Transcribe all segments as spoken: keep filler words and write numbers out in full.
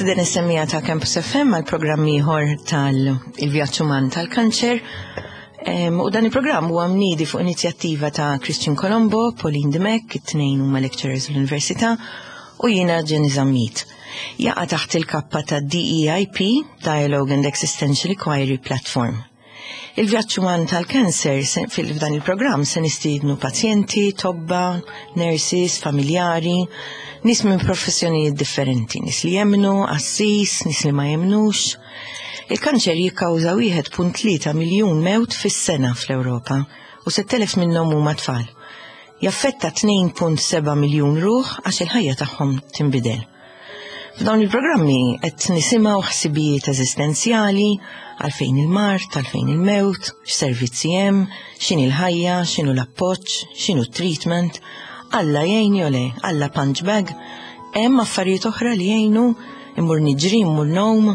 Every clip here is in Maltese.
Nistieden is-semmiegħa ta' Campus F M għal programm ieħor tal-Vjaġġ Uman tal-Kanċer. Em, U dan il-programm huwa mniedi fuq inizjattiva ta' Christian Colombo, Pauline Dimech, it-tnejn huma lecturers l-Università, u jiena Jenny Zammit. Jaqa' taħt il-kappa ta' D E I P, Dialogue and Existential Inquiry Platform. Il-vjaġġ uman tal-kanser se- fil-fdan il-programm se nistiednu pazjenti, tobba, nurses, familjari, nies minn professjonijiet differenti, nies li jemnu, qassis, nies li ma jemnux. Il-kanċer jikkawża wieħed punt tlieta miljun mewt fis-sena fl-Ewropa u sett elef minnhom huma tfal. Jaffetta tnejn punt seba' miljun ruħ għax il-ħajja tagħhom tinbidel. F'dawn il-programmi qed nisimgħu ħsibijiet eżistenzjali għalfejn il-mard, għalfejn il-mewt, x'servizzi hemm, x'inhi l-ħajja, x'inhu l-appoġġ, x'inhu treatment, Alla jgħin jew le, Alla punch bag, hemm affarijiet oħra li jgħinu, immur niġri, immur ngħum,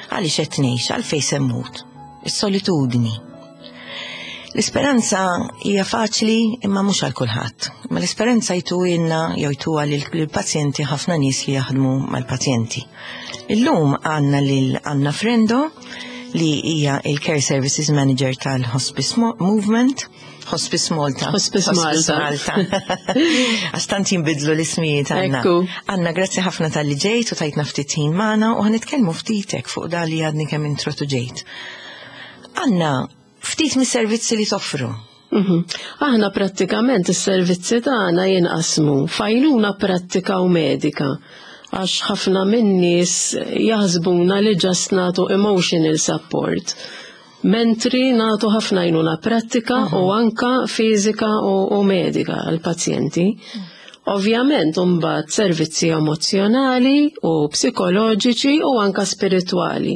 għaliex qed ngħix, għalfejn se mmut. Is-solitudni. L-isperanza hija faċli imma mhux għal kulħadd. Ma l-isperanza jtuhielna jew jtuha lill-pazjenti ħafna nies li jaħdmu mal-pazjenti. Illum għandna lil Anna Frendo, li hija il-Care Services Manager tal-Hospice Mo- Movement, Hospice Malta. Hospice Malta. Malta. Għax tant jinbidlu l-ismijiet, Anna. Ekku. Anna, grazzi ħafna talli ġejt u tajtna ftit ħin magħna u ħa nitkellmu ftitek fuq da li għadni kemm introduġejt. Anna, ftit mis-servizzi li toffru. Mhm. Aħna prattikament is-servizzi tagħna jinqasmu f'għajnuna prattika u medika, għax ħafna min-nies jaħsbuna li just nagħtu emotional support. Mentri nagħtu ħafna għajnuna prattika u anka fiżika u, u medika għal-pazjenti. Ovvjament mbagħad servizzi emozjonali u psikoloġiċi u anka spiritwali.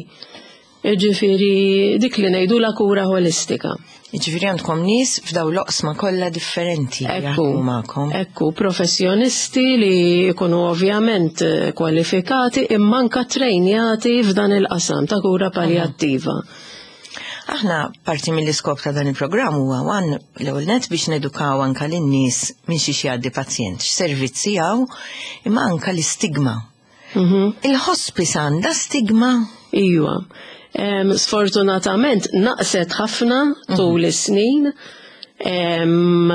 Ġifieri dik li ngħidu la kura holistika. Ġifieri għandkom nies f'daw l-oqsma kollha differenti li Ekku, jaħdmu magħkom. Ekku, professjonisti li jkunu ovvjament eh, kwalifikati imma anka trejnjati f'dan il-qasam ta' kura paljattiva. Aħna parti mill-iskop ta' dan il-programm huwa wan l-ewwel net biex nedukaw anka lin-nies minn xi jgħaddi pazjent, x'servizzi hawn, imma anka l-istigma. Mhm. Il-hospice għandha stigma? Iwa. Em, sfortunatament naqset ħafna tul is-snin. Em,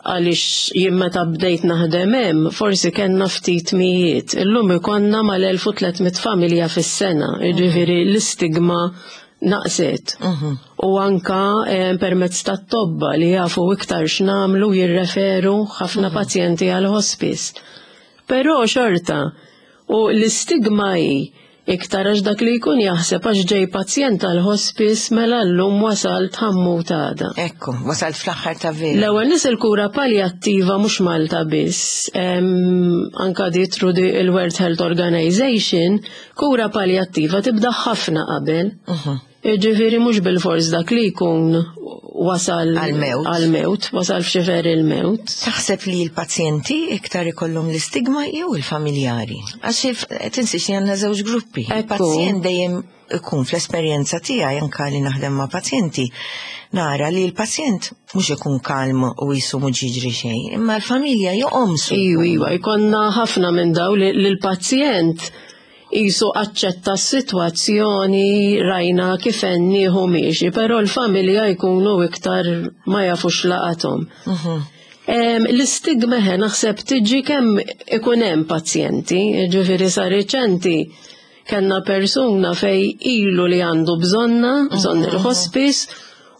Għaliex jien meta bdejt naħdem hemm, forsi kellna ftit mijiet. Illum ikonna mal-elf u tliet mitt familja fis-sena, jiġifieri l-istigma naqset. U anka em, permezz tat-tobba li jafu iktar x'namlu, jirreferu ħafna pazjenti għal hospice. Però xorta, u l-istigma hi iktar għax dak li jkun jaħseb għax ġej pazjent għal hospice, mela llum wasalt, ħa mmut għada. Ekku, wasalt fl-aħħar ta' vera. L-ewwel nies, il-kura paljattiva mhux Malta biss, em, anka di through the il-World Health Organization, kura paljattiva tibda ħafna qabel. Ġifieri mhux bil-fors dak li jkun wasal għal-mewt. Għal-mewt, wasal f'xifer il-mewt. Taħseb li l-pazjenti iktar ikollhom l-istigma jew il-familjari? Għax il- tinsiex li għandna żewġ gruppi. Ekku. Il-pazjent dejjem ikun, fl-esperjenza tiegħi anka li naħdem ma' pazjenti, nara li l-pazjent mhux ikun kalm u jisu mhux jiġri xejn, imma l-familja joqomsu. Iwa, iwa, jkollna ħafna minn daw li l-pazjent jisu aċċetta s-sitwazzjoni, rajna kif nieħu miexi, però l-familja jkunu iktar ma jafux laqathom. Em, L-istigma ħe naħseb tiġi kemm ikun hemm pazjenti, ġifieri sa reċenti kellna persuna fej ilu li għandu bżonna, bżonn il-hospice,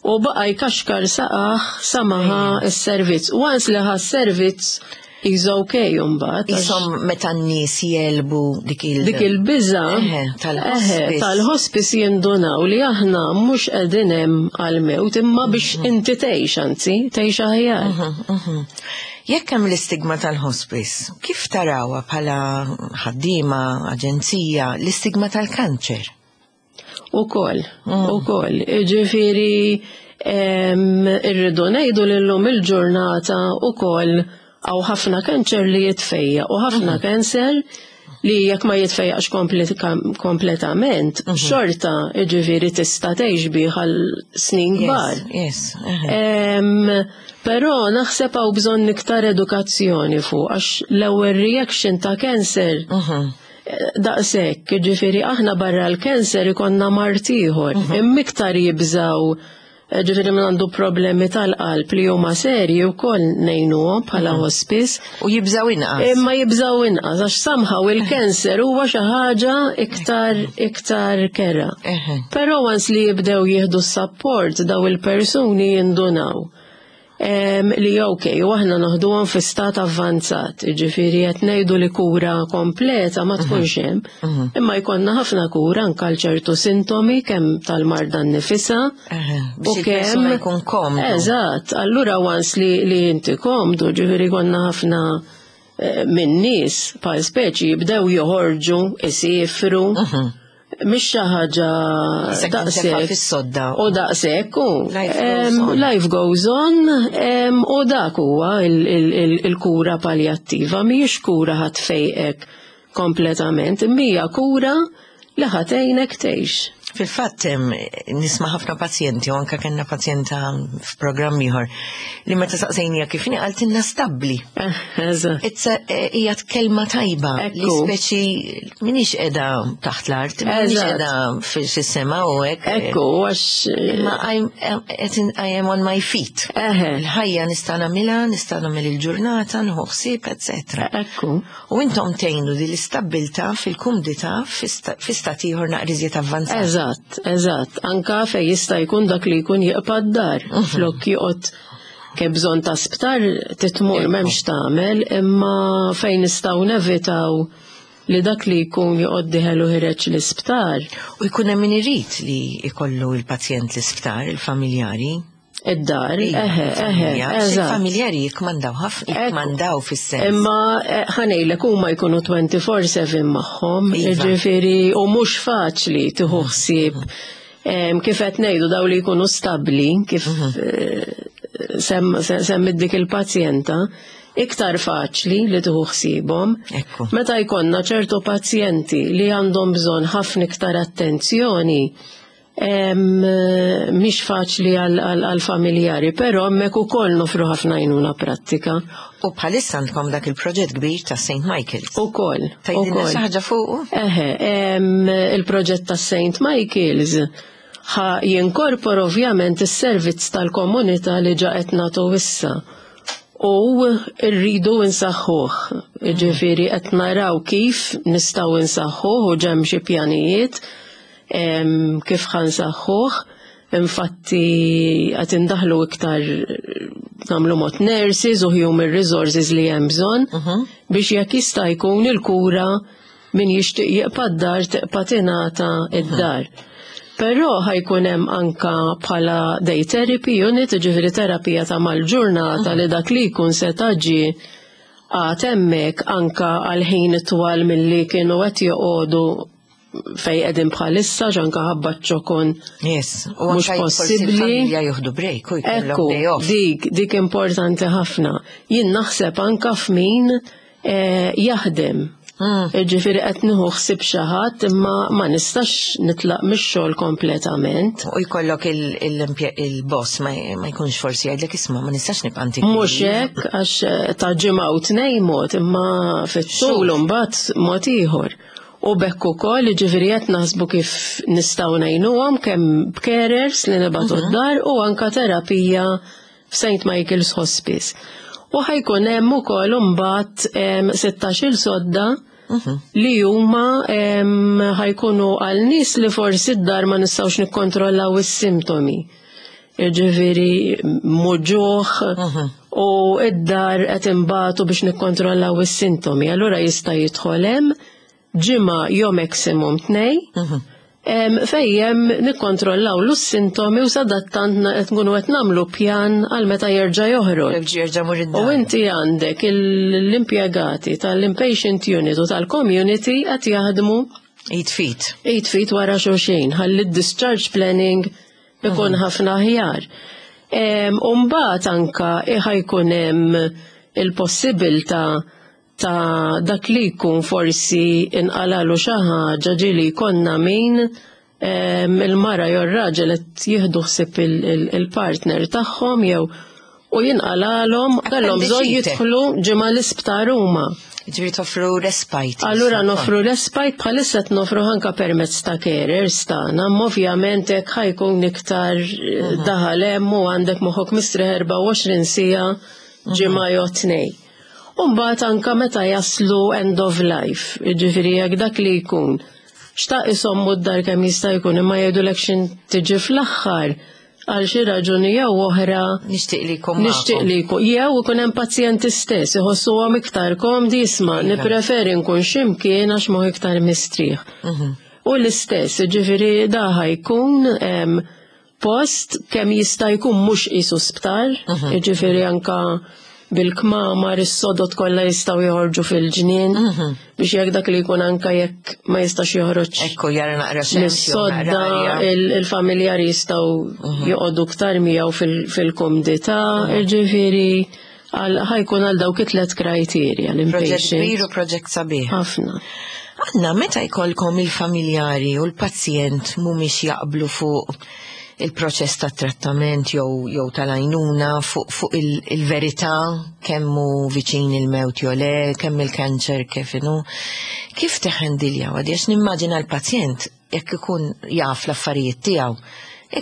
u baqa jkaxkar saqajh sa ma ħa s-servizz. Once li ħa s-servizz, is okay mbagħad. għax Isom meta n-nies jelbu dik il- Dik il-biża Eħe, tal-hospice. eħe, tal-hospice jindunaw li aħna mhux qegħdin hemm għal-mewt imma biex inti tgħix, anzi tgħix aħjar. Mhm. Jekk hemm l-istigma tal-hospice, kif tarawha bħala ħaddiema, aġenzija, l-istigma tal-kanċer? Ukoll, ukoll. Ġifieri em, irridu ngħidu li llum il-ġurnata ukoll hawn ħafna kanċer li jitfejja u ħafna kanċer li jekk ma jitfejjaqx komple- kompletament, xorta ġifieri tista' tgħix bih għal snin kbar. Yes, yes. eħe. Em, Però naħseb hawn bżonn iktar edukazzjoni fuq, għax l-ewwel reaction ta' cancer Mhm. Daqshekk, ġifieri aħna barra l-kanser ikollna mard ieħor, imma iktar jibżaw, ġifieri min għandu problemi tal-qalb li huma serji wkoll ngħinuhom bħala hospice. U jibżaw inqas. Imma jibżaw inqas għax somehow il-kanser huwa xi ħaġa iktar iktar kerha. Eħe. Però once li jibdew jieħdu s-support, daw il-persuni jindunaw Em, li ok, u aħna noħduhom fi stat avvanzat, ġifieri qed ngħidu li kura kompleta ma tkunx hemm, imma jkollna ħafna kura anke għal ċertu sintomi, kemm tal-marda nnifisha Eħe, u biex il-persuna jkun komdu. Eżatt, allura once li, li inti komdu, ġifieri konna ħafna eh, minn nies bħal speċi jibdew joħorġu, isifru, mhix xi ħaġa Isek tintefa' daqshekk. fis-sodda. U daqshekk u Life goes em, on. Life goes on, em, u dak huwa il- il- il- il-kura paljattiva, mhijiex kura ħa tfejqek kompletament, imma hija kura li ħa tgħinek tgħix. Fil-fatt em, nisma' ħafna pazjenti, u anka kellna pazjenta f'programm ieħor li meta saqsejnija kif inhi qaltilna stabbli. Eh, Eżatt. It's a- eh, hija kelma tajba li Ekku. speċi minix qiegħda taħt l-art, minix Eżatt. qiegħda fis-sema u hekk. Ekku, għax Imma I'm, I'm, I am on my feet. Eħe. Il-ħajja nista' nagħmilha, nista' nagħmel il-ġurnata, nieħu ħsieb, eċetera. Ekku. U intom tgħinu di l-istabbiltà fil-kumdità fi stat ieħor naqra iżjed avvanzat. Eżatt, eżatt. Anka fej jista' jkun dak li jkun jibqa' d-dar. Flok joqgħod ke bżonn ta' sptar titmur, m'hemmx tagħmel, imma fejn nistgħu nevitaw li dak li jkun joqgħod dieħel u ħiereġ l-isptar. U jkun hemm min irid li jkollu il-pazjent l-isptar, il-familjari. Id-dar, Iva, eħe, eħe, il-familja. Għax eżatt. il-familjari jikmandaw ħafna, Ekku. jikmandaw fis-sens. Imma eh, ħa ngħidlek, huma jkunu twenty-four seven magħhom, Iva. ġifieri u mhux faċli tieħu ħsieb. Em, Kif qed ngħidu, daw li jkunu stabbli, kif eh, sem semmit dik il-pazjenta, iktar faċli li tieħu ħsiebhom. Ekku. Meta jkollna ċertu pazjenti li għandhom bżonn ħafna iktar attenzjoni, em, mhix faċli għal-familjari, però hemmhekk ukoll nofru ħafna għajnuna prattika. U bħalissa għandkom dak il-proġett kbir ta' Saint Michael's. Ukoll, Tgħidilna ukoll. xi ħaġa fuqu? Eħe, em, il-proġett ta' Saint Michael's ħa jinkorpora ovvjament is-servizz tal-komunità li ġa qed nagħtu issa. U rridu nsaħħuh. Ġifieri qed naraw kif nistgħu nsaħħuh u hemm xi pjanijiet em, kif ħa nsaħħuh. Infatti qed indaħlu iktar, nagħmlu mod nurses u human resources li hemm bżonn biex jekk jista' jkun il-kura min jixtieq jibqa' d-dar tibqa' tingħata id-dar. Però ħa jkun hemm anka bħala day therapy unit, ġifieri terapija ta' mal-ġurnata li dak li jkun se taġi għad hemmhekk anka għal ħin twal milli kienu qed joqogħdu fej qegħdin bħalissa ġanka ħabba ċokon. Yes. U Mhux anka forsi possibbli. il-familja jieħdu break u jkollhom Ekku, day off. dik, dik importanti ħafna. Jien naħseb anka f'min eh, jaħdem. Mm. Ġifieri qed nieħu ħsieb xi ħadd imma ma nistax nitlaq mix-xogħol kompletament. U jkollok il- il- il-boss ma ma jkunx forsi jgħidlek, "Isma', ma nistax nibqa' ntik." Mhux hekk, għax eh, ta' ġimgħa u tnejn mod, imma fit-tul imbagħad mod ieħor. U bekk ukoll ġifieri qed naħsbu kif nistgħu ngħinuhom kemm b'carers li nibagħtu d-dar u anka terapija f'Saint Michael's Hospice. U ħa jkun hemm ukoll imbagħad em, sittax-il sodda li huma em, ħa jkunu għal nies li forsi d-dar ma nistgħux nikkontrollaw is-sintomi. Ġifieri muġugħ u id-dar qed imbatu biex nikkontrollaw is-sintomi. Allura jista' jidħol hemm ġimgħa jew maximum tnej. Em, Fejjem nikkontrollaw l-sintomi u sadattant na- qed nkunu qed nagħmlu pjan għal meta jerġa' joħroġ. Jerġa' mur U id-dar. inti għandek il- l-impjegati tal-inpatient unit u tal-community qed jaħdmu Id f'id. id f'id wara xulxin, ħalli d-discharge planning ikun ħafna aħjar. U mbagħad anka ħa jkun hemm il-possibilità ta' dak li jkun forsi inqalalu xi ħaġa, ġieli jkollna min em, il-mara jew ir-raġel qed jieħdu ħsieb il- il- il-partner tagħhom jew U jinqalalhom kellhom bżonn Appendicite. jidħlu ġimgħa l-isptar huma. Ġifieri toffru respite. Allura nofru respite, bħalissa qed nofru anka permezz ta' carers tagħna, imma ovvjament hekk ħa jkun iktar eh, daħal hemm u għandek moħħok mistrieħ erbgħa u għoxrin siegħa ġimgħa jew tnejn. U mbagħad anka meta jaslu end of life, jiġifieri jekk dak li jkun xtaq isommu d-dar kemm jista' jkun, imma jgħidulek xin tiġi fl-aħħar għal xi raġuni jew oħra Nixtieq li jkun nixtieq li jkun, jew ikun hemm pazjenti stess iħossuhom iktar komdi, isma' Iva. nippreferi nkun x'imkien għax moħħi iktar mistrieħ. Mhm. U l-istess, ġifieri da ħa jkun em, post kemm jista' jkun mhux qisu sptar, Mhm. ġifieri anka bil-kmamar, is-sodod kollha jistgħu joħorġu fil-ġnien Mhm. biex jekk dak li jkun anka jekk ma jistax joħroġ Ekku, jara naqra xemx, jew mis-sodda, naqra arja. il- il-familjari jistgħu joqogħdu ktar miegħu fil- fil-kumdità, ġifieri għal- ħa jkun għal dawk it-tlet kriterja Proġett l-inpatient. kbir u proġett sabiħ. Ħafna. Għanna, meta jkollkom il-familjari u l-pazjent mhumiex jaqblu fuq il-proċess ta' trattament jew jew tal-għajnuna, fuq fuq il- il-verità kemm hu viċin il-mewt jew le, kemm il-kanċer kif inhu, kif teħendiljaw? Għax nimmaġina l-pazjent jekk ikun jaf l-affarijiet tiegħu,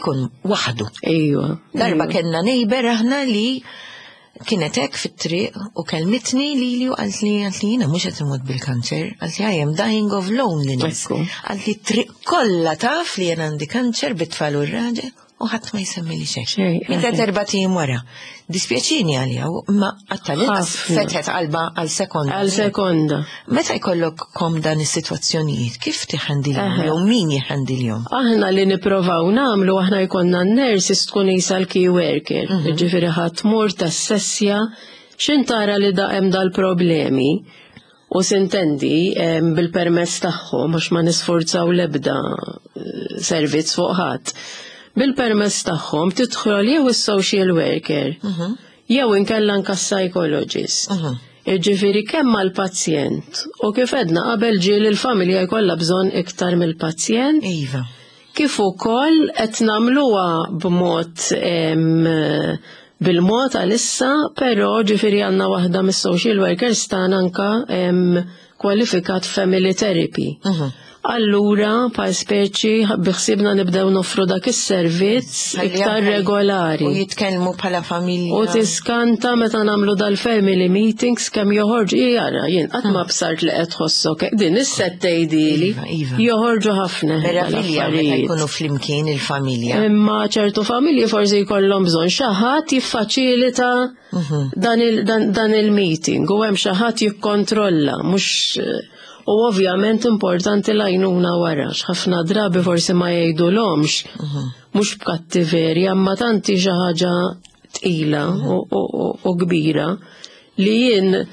ikun waħdu. Ejwa. Darba kellna neighbor aħna li kienet hekk fit-triq u kelmitni li li u qalt li qalt li jiena mhux qed imut bil-kanċer, qalt li "I am dying of loneliness." Ekku. Qalt li "Triq kollha taf li jien għandi kanċer bit-tfal u r-raġel u ħadd ma jsemmi li xejn." Xejn, Mietet eħe. erbat ijiem wara. Dispjaċini għalija, ma għattal-inqas Ħafna. fetħet qalba għal sekonda. Għal sekonda. Meta jkollok kom dan is-sitwazzjonijiet, kif tiħandilhom Eħe. jew min jiħandilhom? Aħna li niprovaw nagħmlu, aħna jkollna n-nurses tkun isa l-key worker. Ġifieri ħa tmur tassessja xin tara li da hemm dal-problemi u sintendi em, bil-permess tagħhom, għax ma nisforzaw l-ebda eh, servizz fuq ħadd. Bil-permess tagħhom tidħol jew is-social worker jew inkella anka psychologist. Mhm. Ġifieri kemm mal-pazjent u kif edna qabel ġieli l-familja jkollha bżonn iktar mill-pazjent, Iva. kif ukoll qed nagħmluha b'mod em, bil-mod għalissa, però ġifieri għandna waħda mis-social workers tagħna anka em, kwalifikat family therapy. Mhm. Allura, pa speċi, biħsibna nibdew noffru dak is-servizz Ħalli iktar anke- regolari. U jitkellmu bħala familja. U tiskanta meta nagħmlu dal-family meetings kemm joħorġu, jara, jien qatt ma bsart li qed tħossok din is-set tgħidili. Iva, iva. Joħorġu ħafna Meravilja meta dal-affarijiet. jkunu flimkien il-familja. Imma ċertu familji forsi jkollhom bżonn xi ħadd jiffaċilita Mhm. dan il- dan- dan il-meeting u hemm xi ħadd jikkontrolla, mhux. U ovvjament importanti l-għajnuna wara, ħafna drabi forsi ma jgħidulhomx Mhm. mhux b'kattiverja, imma tanti xi ħaġa tqila u- u u- u kbira li jien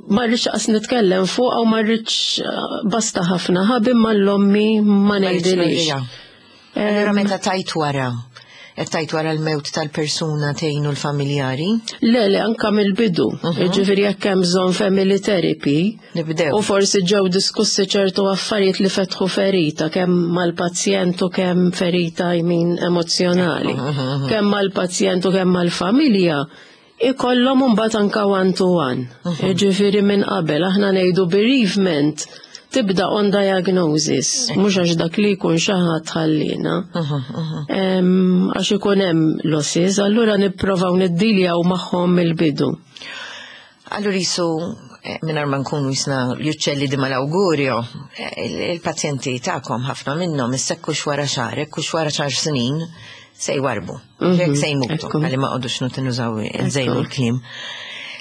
ma rridx qas nitkellem fuq u ma rridx, basta ħafna ħabib ma l-ommi ma ngħidilix. Allura meta tajt wara, qed tajt wara l-mewt tal-persuna tgħinu l-familjari, Le, le, anka mill-bidu. Ġifieri jekk hemm bżonn family therapy, nibdew. u forsi ġew diskussi ċertu affarijiet li fetħu ferita, kemm mal-pazjent u kemm ferita, I mean, emozjonali, kemm mal-pazjent u kemm mal-familja, ikollhom imbagħad anka one to one. Ġifieri minn qabel aħna ngħidu bereavement tibda on diagnosis, mhux għax dak li jkun xi ħadd ħallina. Em, Għax ikun hemm losses, allura nipprovaw niddiljaw magħhom mill-bidu. Allura jisu, eh, mingħajr ma nkunu jisna l-uccelli di malaugurio, eh, il- il-pazjenti tagħkom ħafna minnhom issekkux wara xahar, ekkux wara xahar snin, se jwarbu. Mhm, Jekk se jmutu, ekku. għalli ma qodux nużaw nżejnu l-kliem.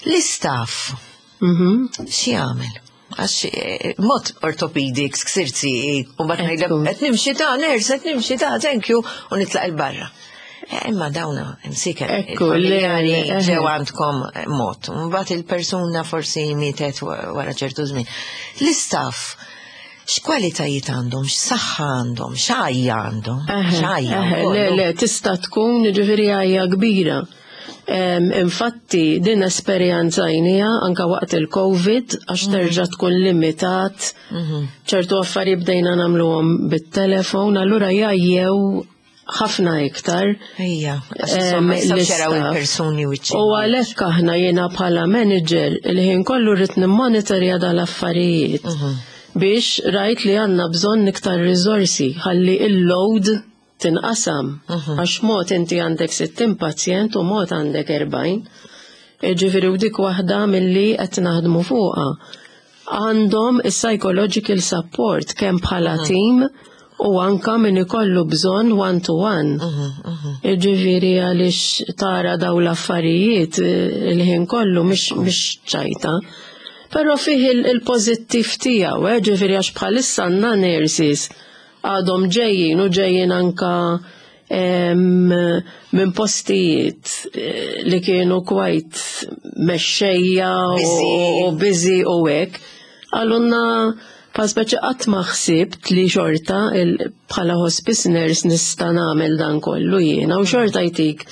L-istaff, Mhm. x'jagħmel? Għax eh, mod orthopedics, ksirzi, u bat ngħidlek Ekku. qed nimxi ta' nurse, qed nimxi ta' thank you, u nitlaq il-barra. Eh, Imma dawna, msiken, Ekku, le, il-familjari le, eħe. ġew għandkom eh, mod. Mbagħad il-persuna forsi mietet wa- wara ċertu żmien. L-istaff, x'kwalitajiet għandhom, x'saħħa għandhom, x'għajja għandhom, Eħe, x'għajja eħe, wkoll. le, le, tista' tkun ġifieri għajja kbira. Em, Infatti, din esperjenzajnieha anka waqt il-Covid, għax terġa' tkun limitat, Mhm. ċertu affarijiet bdejna nagħmluhom bit-telefon, allura jgħajjew ħafna iktar. Ejja, għax insomma jistgħux jaraw il-persuni u U għalhekk aħna jiena bħala manager il-ħin kollu rrid nimmonitorja dal-affarijiet Mhm. biex rajt li għandna bżonn iktar riżorsi ħalli il-load tinqasam. Mhm. Għax mod inti għandek sittin pazjent u mod għandek erbgħin. Ġifieri u dik waħda milli qed naħdmu fuqha. Għandhom is-psychological support kemm bħala Mhm. team u anka min ikollu bżonn one to one. Mhm, Ġifieri għaliex tara daw l-affarijiet eh, il-ħin kollu mhix mhix ċajta. Però fih il-pożittiv tiegħu, eh, ġifieri għax bħalissa għandna nurses għadhom ġejjin u ġejjin anka em, minn postijiet eh, li kienu quite mexxejja u- Busy. u busy u hekk. Qalulna pa speċi qatt ma ħsibt li xorta il- bħala hospice nurse nista' nagħmel dan kollu jiena u xorta jtik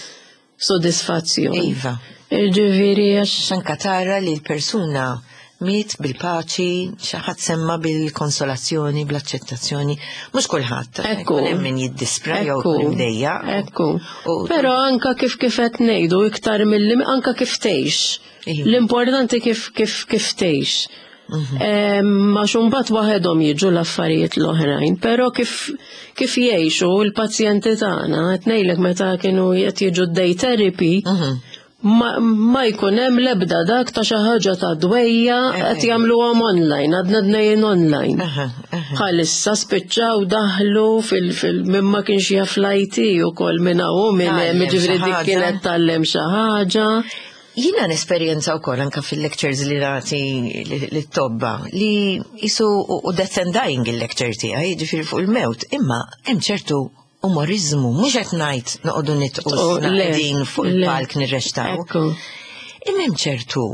sodisfazzjon. Iva. Ġifieri għax Anka tara li l-persuna miet bil-paċi, xi ħadd semma bil-konsolazzjoni, bl-accettazzjoni, mhux kulħadd. Ekku. Ikun hemm min jiddispra jew Ekku. ikun imdejjaq. Ekku. U- Però anka kif kif qed ngħidu iktar milli anka kif tgħix. Iva. L-importanti kif kif kif tgħix. Mhm. Em, Għax imbagħad waħedhom jiġu l-affarijiet l-oħrajn, però kif kif jgħixu l-pazjenti tagħna, qed ngħidlek meta kienu qed jiġu day therapy, Mhm. ma, ma jkun hemm l-ebda dak ta' xi ħaġa ta' dwejjaq qed jagħmluhom online, għadna dnejjin online. Aha, aha. Bħalissa spiċċaw daħlu fil, fil minn ma kienx jaf l-I T u kol minn hawn minn hemm, Tgħallem ġifieri xi dik ħaġa. kienet tgħallem xi ħaġa. Jiena nesperjenza wkoll anka fil-lectures li nagħti lit-tobba li jisu u death and dying il-lecture tiegħi, jiġifieri fuq il-mewt, imma hemm ċertu umorizmu, mhux qed ngħid noqogħdu nidħku Oh, le, qegħdin fuq le. il-palk nirreċtaw. Ekku. Imma hemm ċertu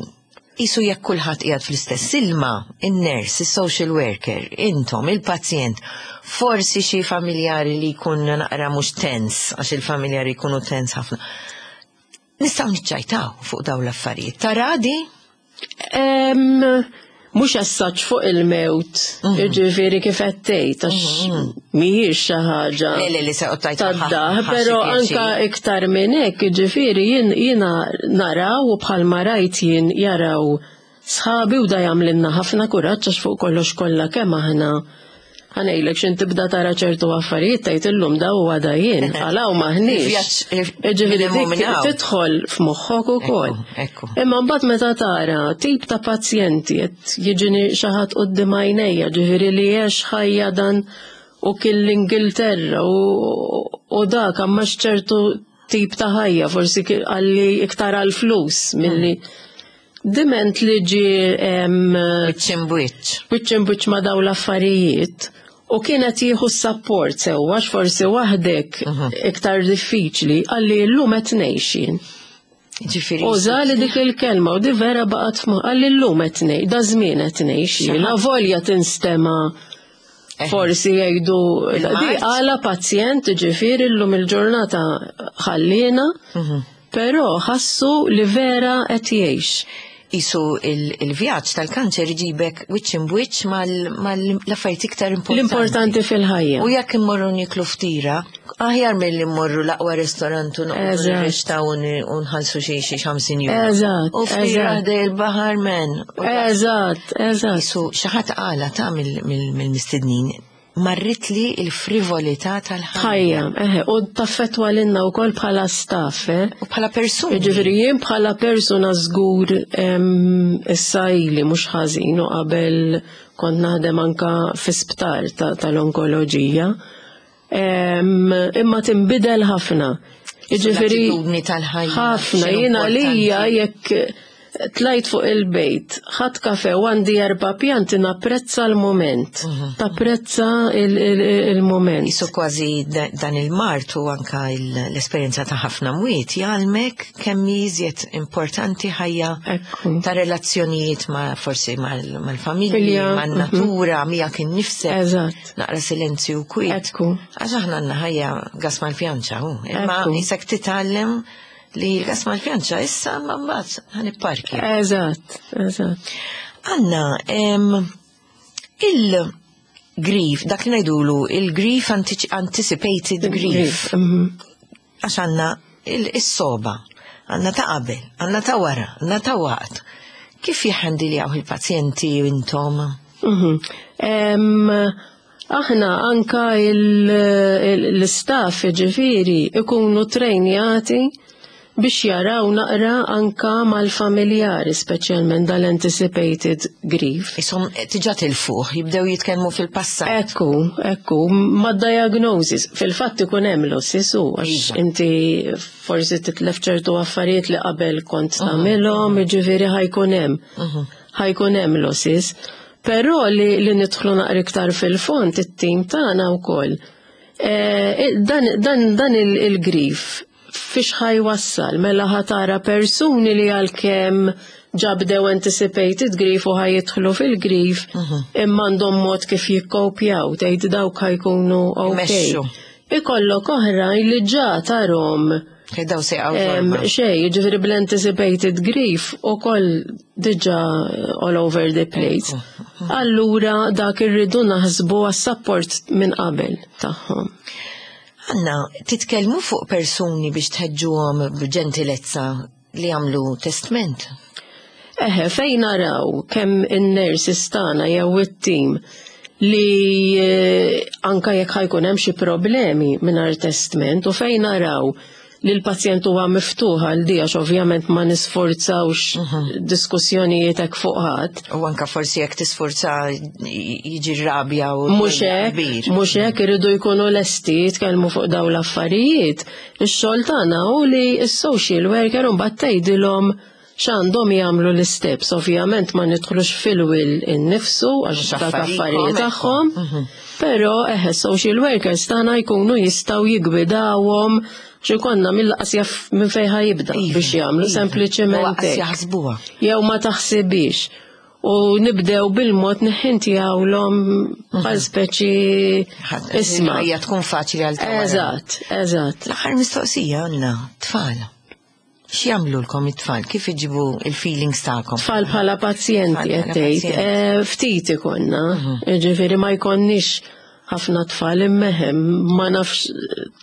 Isu jekk kulħadd qiegħed fl-istess ilma, in-nurse, is-social worker, intom, il-pazjent, forsi xi familjari li jkun naqra mhux tens, għax il-familjari jkunu tens ħafna. Nistgħu niċċajtaw fuq dawn l-affarijiet. Taradi? Em, Mhux assaċ fuq il-mewt, Mhm. ġifieri kif qed tgħid, għax mhijiex xi ħaġa. Le, le, li se qottajt Tadda, però anka iktar minn hekk, ġifieri jien jiena naraw u bħalma rajt jien jaraw sħabi u da jagħmlilna ħafna kuraġġ għax fuq kollox kollha kemm aħna ħa ngħidlek x'in tibda tara ċertu affarijiet tgħid illum da huwa da jien, għalaw maħniex. Il-vjaġġ, Ġifieri minn hemm u dik minn hawn. tidħol f'moħħok ukoll. Ekku, ekku. Imma mbagħad meta tara tip ta' pazjenti qed jiġini xi ħadd quddiem għajnejja, ġifieri li għex ħajja dan u kien l-Ingilterra u, u dak għamma ċertu tip ta' ħajja, forsi ki- għalli iktar għal-flus milli diment li ġi em, Wiċċ imbwiċċ. wiċċ imbiċ ma' daw l-affarijiet u kienet jieħu s-support sewwa għax forsi waħdek iktar diffiċli għalli llum qed ngħix jien. Ġifieri. Uża li dik il-kelma u di vera baqgħet f'moħħ għalli llum qed ngħix, da żmien qed ngħix jien, avolja tinstema' Eh. forsi jgħidu di Il-mard. għala pazjent ġifieri llum il-ġurnata ħallina, però ħassu li vera qed jgħix. Isu il-vjaġġ tal-kanċer iġibek wiċċ imbwiċċ mal-affarijiet iktar importanti. L-importanti fil-ħajja. U jekk immorru niklu ftira, aħjar mill-li mmorru l-aqwa restorant u noqogħdu Eżatt. nirrextaw u n- u nħallsu xi xi ħamsin euro. Eżatt, U ftira eżatt. ħdej il-baħar men. U Eżatt, eżatt. Isu xi ħadd qala ta' mill- mill- mill-mistednin marrit li il-frivolità tal-ħajja. Ħajja, eħe, u taffetwa lilna wkoll bħala staff, eh? U bħala persuni. Ġifieri jien bħala persuna żgur em, issa ili mhux ħażin u qabel kont naħdem anka fi sptar ta- tal-onkoloġija. Em, Imma tinbidel ħafna. Ġifieri L-attitudni tal-ħajja. ħafna x'inhu jiena għalija importanti. jekk tlajt fuq il-bejt, ħadt kafe u għandi erba' pjanti napprezza l-moment. Tapprezza il- il- il-moment. Isu kważi da- dan il-mard u anka il- l-esperjenza ta' ħafna mwiet jgħalmek kemm iżjed importanti ħajja Ekku. ta' relazzjonijiet ma' forsi mal- mal-familji, Familja, man-natura, miegħek innifsek. Eżatt. Naqra silenzju u kwiet. Ekku. Għax aħna għandna ħajja gas mal-pjanċa, hu. Imma Ekku. jisek titgħallem li l-gas mal-pjanċa issa ma mbagħad ħa nipparkja. Eżatt, eżatt. Għanna, em, il, Grief, dak li ngħidulu il-grief anticipated grief. Mhm. Għax għandna is-soba, għandna ta' qabel, għandna ta' wara, għandna ta' waqt. Kif jihhandiljaw il-pazjenti intom? Mhm. Aħna anka l-istaff ġifieri ikunu trejnjati biex jaraw naqra anka mal-familjari, speċjalment dal-anticipated grief. Isom tiġa tilfuh, jibdew jitkellmu fil-passat. Ekku, ekku, ma diagnosis. Fil-fatt ikun hemm losses u għax Iva. inti forsi titlef ċertu affarijiet li qabel kont tagħmilhom, jiġifieri ħa jkun hemm. Ħa jkun hemm losses. Però li, li nidħlu naqra iktar fil-fond it-tim tagħna wkoll. Eh, dan, dan, dan il-grief fiex ħa jwassal, mela ħa tara persuni li għalkemm ġa bdew anticipated grief u ħa jidħlu fil-grief, imma għandhom mod kif jikkopjaw, tgħid dawk ħa jkunu ok. Imexxu. Ikollok oħrajn li ġa tarahom Daw se jaqgħu Em, torba. xej, ġifieri bl-anticipated grief u koll diġa all over the place. Allura dak irridu naħsbu għas-support minn qabel tagħhom. Għanna, titkellmu fuq persuni biex tħeġġuhom b'ġentilezza li jagħmlu testment? Eħe, fejn naraw kemm in-nurses tagħna jew it-tim li eh, anka jekk ħa jkun hemm xi problemi mingħajr testment u fejn naraw li l-pazjent huwa miftuħ għal di għax ovvjament ma nisforzawx diskussjonijiet hekk fuq ħadd. U anka forsi jekk tisforza jiġi rabja u Mhux hekk, kbir. mhux hekk iridu jkunu lesti jitkellmu fuq dawn l-affarijiet. Ix-xogħol tagħna hu li s-social worker mbagħad tgħidilhom x'għandhom jagħmlu l-steps. Ovvjament ma nidħlux fil-will innifsu għax Mhux dak affarijiet affarijiet tagħhom. Però eħe social workers tagħna jkunu jistgħu jiggwidawhom xi konna mill-qas jaf minn fejn ħa jibda Iva, biex jagħmlu iva. sempliċement U qas hekk. jaħsbuha. Jew ma taħsibix. U nibdew bil-mod neħintijawlhom bħal speċi isma'. Hija tkun faċli għal ta' wara. Eżatt, eżatt. L-aħħar mistoqsija għandna tfal. X'jagħmlulkom it-tfal? Kif iġibu il-feelings tagħkom? Tfal bħala pazjenti Tfal bħala qed tgħid. pazjenti. Eh, Ftit ikonna, ġifieri ma jkonniex ħafna tfal immeħem, ma nafx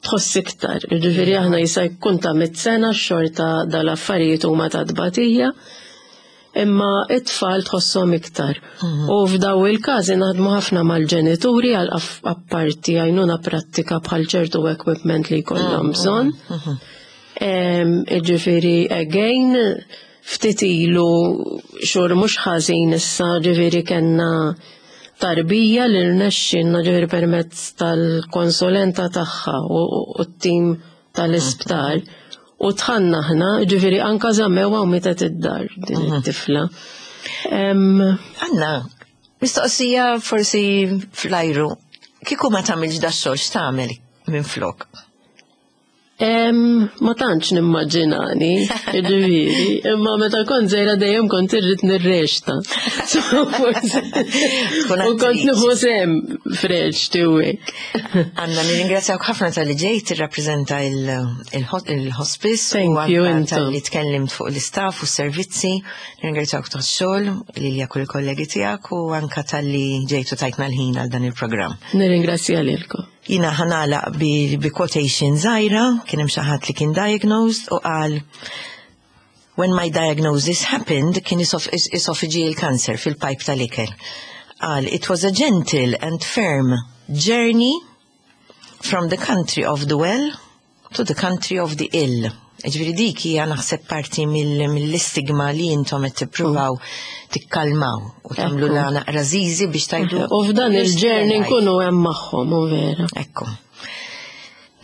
tħoss iktar. Ġifieri aħna jista' jkun ta' mit sena xorta dal-affarijiet huma ta' tbatija, imma it-tfal tħosshom iktar. U f'daw il-każi naħdmu ħafna mal-ġenituri għal aff- apparti għajnuna prattika bħal ċertu equipment li jkollhom bżonn. Em, Ġifieri, again, ftit ilu xhur mhux ħażin issa, ġifieri kellna tarbija li rnexxinna ġifieri permezz tal-konsulenta tagħha u u t-tim tal-isptar u dħalna aħna, ġifieri anka żammewha u mietet id-dar din it-tifla. Em, Għanna, mistoqsija forsi fl-ajru. Kieku ma tagħmilx da xogħol x'tagħmel minn flok? Em, ma tantx nimmaġinani, ġifieri, imma meta kont żgħira dejjem kont irrid nirreċta. So, forsi. Tkun U kont attriċi. nieħu sehem f'reċti u hekk. Għanna nirringrazzjawk ħafna tal-li ġejt tirrappreżenta il-hospice Thank u you, anka intom. tal-li tkellimt fuq l-istaff u s-servizzi. Nirringrazzjawk tax-xogħol li li kull kollegi tiegħek u anka tal-li ġejtu tajtna l-ħin għal dan il-programm. Nirringrazzja lilkom. Jiena ħa nagħlaq bi, bi quotation żgħira, kien hemm xi ħadd li kien diagnosed u qal When my diagnosis happened, kien esoph esophageal cancer fil-pipe tal-ikel. Qal, it was a gentle and firm journey from the country of the well to the country of the ill. Ġifieri dik hija naħseb parti mill- mill-istigma li intom qed tippruvaw tikkalmaw u tagħmlu Ekku. la naqra żiżi biex tgħidu. U f'dan "You're still il-journey alive." nkunu hemm magħhom, u vera. Ekku.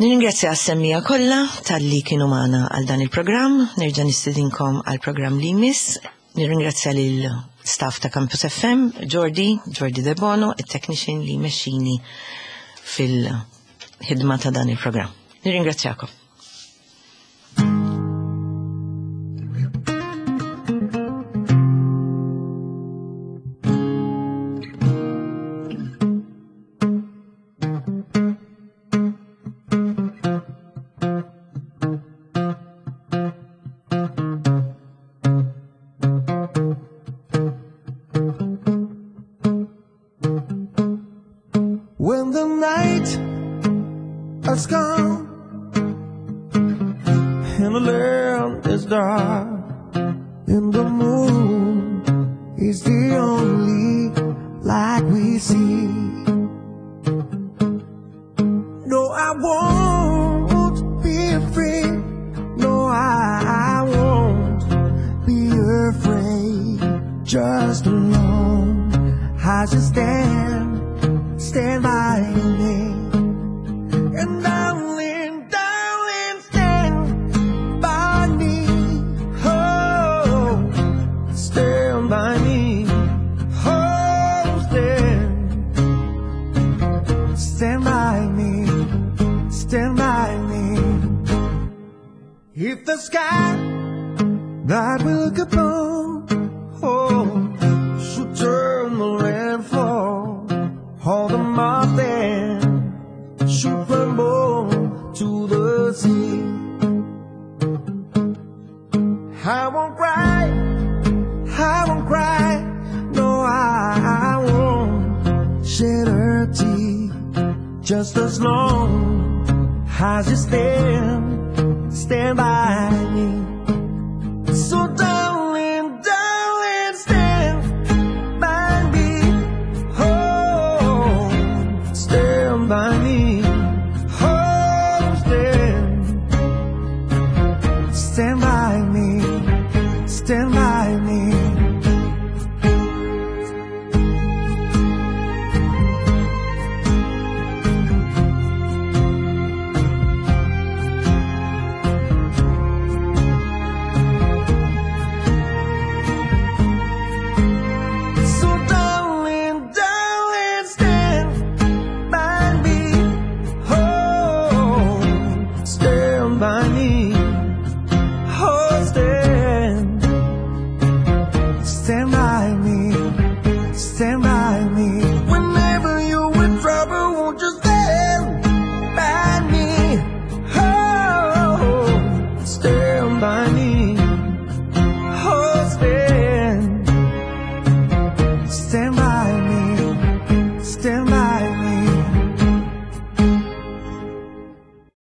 Nirringrazzja għas-semmiegħa kollha tal-li kienu magħna għal dan il-programm, nerġa' nistedinkom għal programm li jmiss. Nirringrazzja lil staff ta' Campus F M, Jordi, Jordi De Bono, il-technician li mexxini fil-ħidma ta' dan il-programm. Nirringrazzjakom. And the moon is the only light we see. No, I won't be afraid. No, I won't be afraid. Just alone, I just stand, stand by me. And darling, darling, stand by me. Oh, stand by me. Oh, stand, stand by me. Stand by me. If the sky that we look upon, oh, should turn the rainfall, all the mountain should crumble to the sea. I won't cry, I won't cry, no, I won't shed a tear. Just as long as you stand, stand by me. So darling, darling, stand by me. Oh, stand by me. Oh, stand, stand by me. Stand by me.